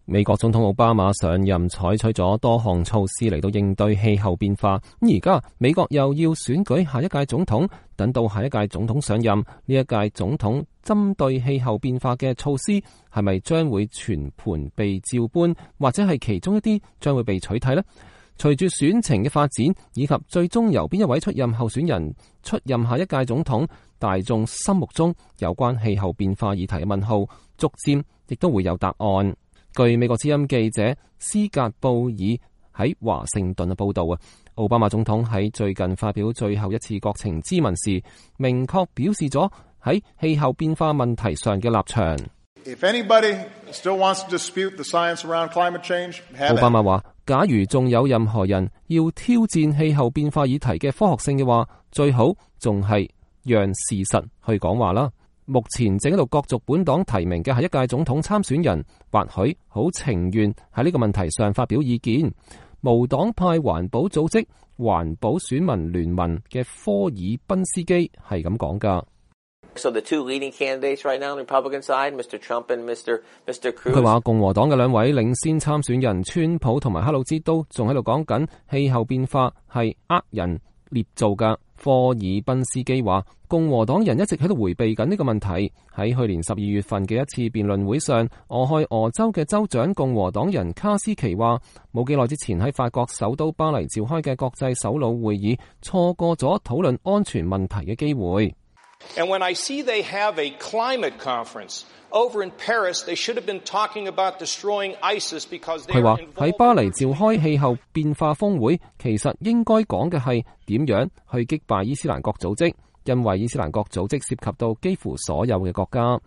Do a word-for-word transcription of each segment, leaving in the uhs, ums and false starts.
美國總統奧巴馬上任採取咗多項措施嚟到應對氣候變化，咁而家美國又要選舉下一屆總統，等到下一屆總統上任，呢一屆總統針對氣候變化嘅措施係咪將會全盤被照搬，或者係其中一啲將會被取締呢？隨住選情嘅發展，以及最終由邊一位出任候選人出任下一屆總統，大眾心目中有關氣候變化議題嘅問號，逐漸亦都會有答案。據美國之音記者斯格布爾喺華盛頓嘅報道啊，奧巴馬總統喺最近發表最後一次國情咨文時，明確表示咗喺氣候變化問題上嘅立場。If anybody still wants to dispute the science around climate change, have it. 奧巴馬話，假如仲有任何人要挑戰氣候變化議題嘅科學性嘅話，最好仲係讓事實去講話啦。目前正喺度角逐本黨提名嘅係一屆總統參選人，或許好情願喺呢個問題上發表意見。無黨派環保組織環保選民聯盟嘅科爾賓斯基係咁講噶。So the two leading candidates right now on the Republican side, Mister Trump and Mister Mister Cruz. 佢話共和黨嘅兩位領先參選人川普同埋克魯茲都仲喺度講緊氣候變化係呃人捏造噶。科爾賓斯基話，共和黨人一直喺度迴避緊呢個問題。喺去年十二月份嘅一次辯論會上，俄亥俄州嘅州長共和黨人卡斯奇話，冇幾耐之前喺法國首都巴黎召開嘅國際首腦會議，錯過咗討論安全問題嘅機會。And when I see they have a climate conference over in Paris, they should have been talking about destroying ISIS because they are involved. 佢話喺巴黎召開氣候變化峰會，其實應該講嘅係點樣去擊敗伊斯蘭國組織，因為伊斯蘭國組織涉及到幾乎所有嘅國家。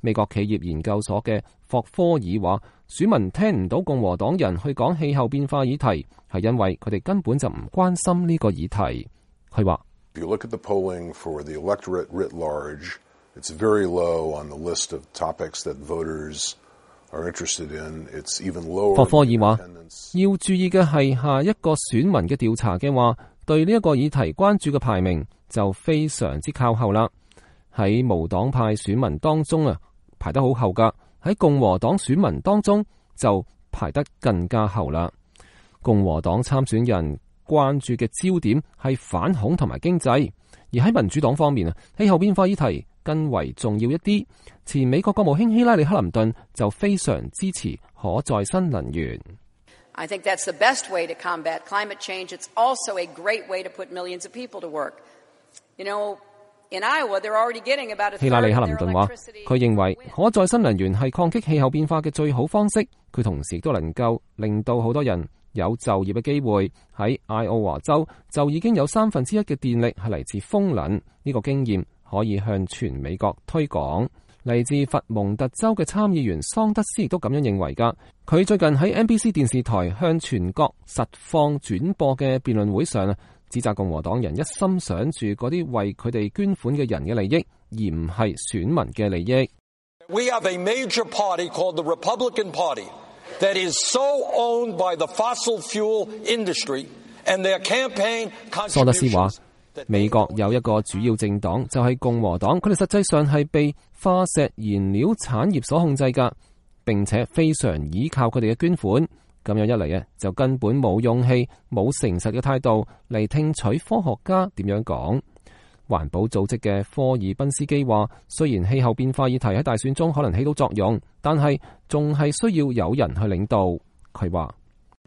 美國企業研究所嘅霍科爾話，選民聽唔到共和黨人去講氣候變化議題，係因為佢哋根本就唔關心呢個議題。佢話If you look at the polling for the electorate writ large, it's very low on the list of topics that voters are interested in. It's even lower. 霍科爾話，要注意嘅係下一個選民嘅調查嘅話，對呢一個議題關注嘅排名就非常之靠後啦。喺無黨派選民當中啊，排得好後噶；喺共和黨選民當中就排得更加後啦。共和黨參選人關注嘅焦點係反恐同埋經濟，而喺民主黨方面啊，氣候變化議題更為重要一啲。前美國國務卿希拉里克林頓就非常支持可再生能源。I think that's the best way to combat climate change. It's also a great way to put millions of people to work. You know, in Iowa, they're already getting about a third of their electricity. 希拉里克林頓話，佢認為可再生能源係抗擊氣候變化嘅最好方式。佢同時亦都能夠令到好多人有就業嘅機會。喺愛奧華州就已經有三分之一嘅電力係嚟自風能，呢個經驗可以向全美國推廣。嚟自佛蒙特州嘅參議員桑德斯亦都咁樣認為㗎。佢最近喺 N B C 電視台向全國實況轉播嘅辯論會上啊，指責共和黨人一心想住嗰啲為佢哋捐款嘅人嘅利益，而唔係選民嘅利益。We have a major party called the Republican Party that is so owned by the fossil fuel industry and their campaign contributions. 桑德斯話，美國有一個主要政黨就係共和黨，佢哋實際上係被化石燃料產業所控制㗎，並且非常依靠佢哋嘅捐款。咁樣一嚟啊，就根本冇勇氣、冇誠實嘅態度嚟聽取科學家點樣講。環保組織嘅科爾賓斯基話，雖然氣候變化議題喺大選中可能起到作用，但係仲係需要有人去領導。佢話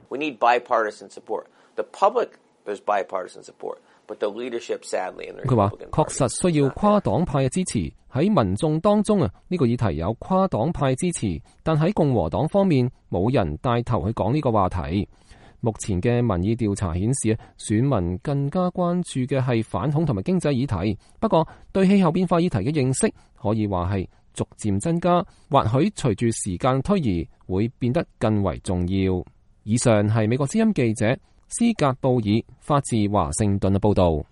We need bipartisan support. The public, there's bipartisan support, but the leadership, sadly, in the 佢話 Republican 確 Party 實需要跨黨派嘅支持。喺民眾當中啊，呢個議題有跨黨派支持，但喺共和黨方面冇人帶頭去講呢個話題。目前嘅民意調查顯示啊，選民更加關注嘅係反恐同埋經濟議題。不過對氣候變化議題嘅認識可以話係逐漸增加，或許隨住時間推移會變得更為重要。以上係美國之音記者斯格布爾發自華盛頓嘅報導。